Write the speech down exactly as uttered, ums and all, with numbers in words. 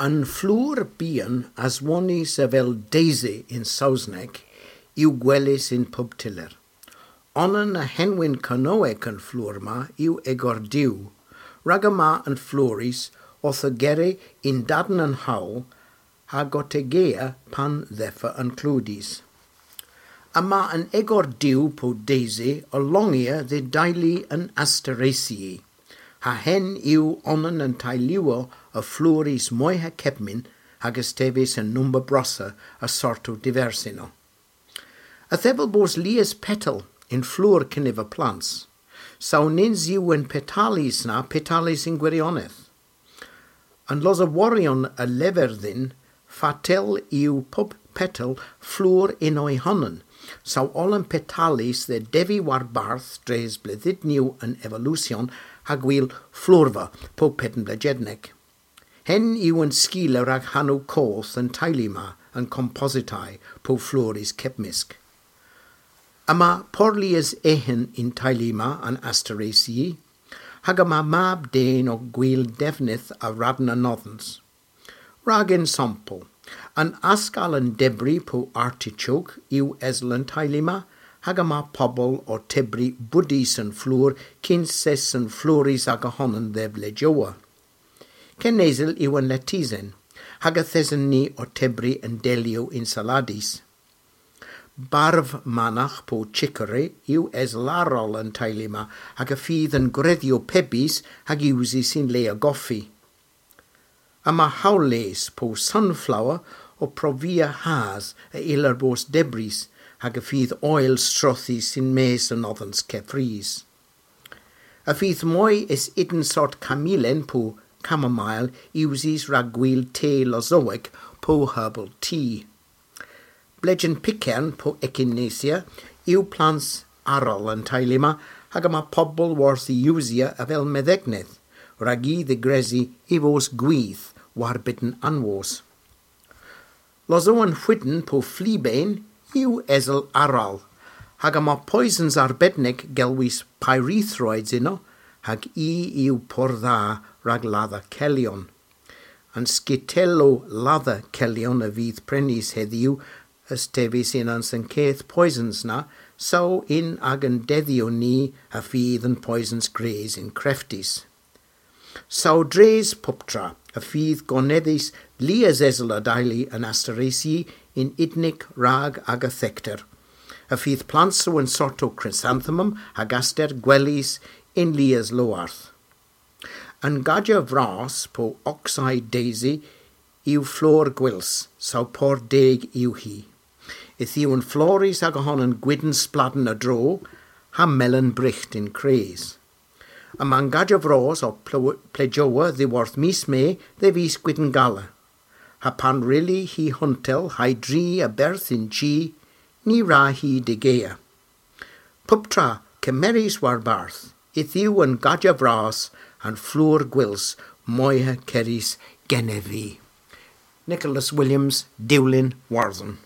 An flour bian aswonnys avel daisy yn Sowsnek yw gwelys yn pub tyller. Onan a henwyn Kernowek an flour ma yw egordew, rag yma an flourys owth ogeri yn-dadn an howl ha gotegea pan dheffo an kludys. Yma an egordew po daisy ow longya dhe deylu an Asteraceae, ha henn yw onan a'n teyluyow a flourys moyha kepmyn hag a's teves yn nomber brossa a sortow diversynnow. Yth ev ow bos lies petal yn flour kenniva plants, saw nyns yw an petalys na petalys yn gwiryonedh. An losoworyon a lever dhyn fatel yw pub petal flour yn oy honan, saw oll an petalys dhe devi warbarth dres bledhynyow an evolusyon ha gwil flourva po pedn blejednek. Henn yw an skila rag hanow koth an teylu ma, an Compositae, po flourys kepmysk. Yma porlies eghen y'n teylu ma, an Asteraceae, hag yma mab den ow gwil devnydh a radn an nodhans. Rag ensampel, an askal an debri po artichoke yw esel an teylu ma, hag yma pobel ow tybri bwdhys an flour kyns es an flourys aga honan dhe vlejowa. Kenesel yw an letisen, hag yth esen ni ow tybri an deliow yn saladys. Barv managh po chicory yw esel arall an teylu ma, hag y fydh an gwredhyow pebys hag usys yn le a goffi. Yma howlles po sunflower ow provia has a yllir bos debrys, hag y fydh oyl strothys yn-mes an nodhans keffrys. Y fydh moy es ydyn sort kamylen po chamomile usys rag gwil te losowek po herbal tea. Blejen pygern po echinacea yw plants arall an teylu ma, hag yma pobel worth y usya avel medhegneth, rag y dhigresi y vos gwith warbydn anwos. Losowen hwiden po fleabane yw esel arall, hag yma poysons arbednek gelwys pyrethroids ynno, hag i yw pur dha rag ladha kelyon. An skitellow ladha kelyon a vydh prenys hedhyw a's teves yn an sen keth poysons na, saw yn agan dedhyow ni y fydh an poysons gwrys yn kreftus. Saw dres puptra y fydh gonedhys lies esel a deylu an Asteraceae yn unnik rag aga thekter. Y fydh plantsow an sortow chrysanthemum hag aster gwelys yn lies lowarth. An gaja vras po oxeye daisy yw flour gwyls, saw pur deg yw hi. Yth yw an flourys aga honan gwydn spladn a-dro, ha melyn bryght yn kres. Yma'n gaja vras ow pl-, plejowa dhyworth mis Me dhe vis Gwydngala. Ha pan wrylli hi huntel ha'y dri a-berth y'n chi, ny wra hi degea. Puptra kemerys warbarth, yth yw an gaja vras an flour gwyls moyha kerys genev vy. Nicholas Williams, Dewlin Warthon.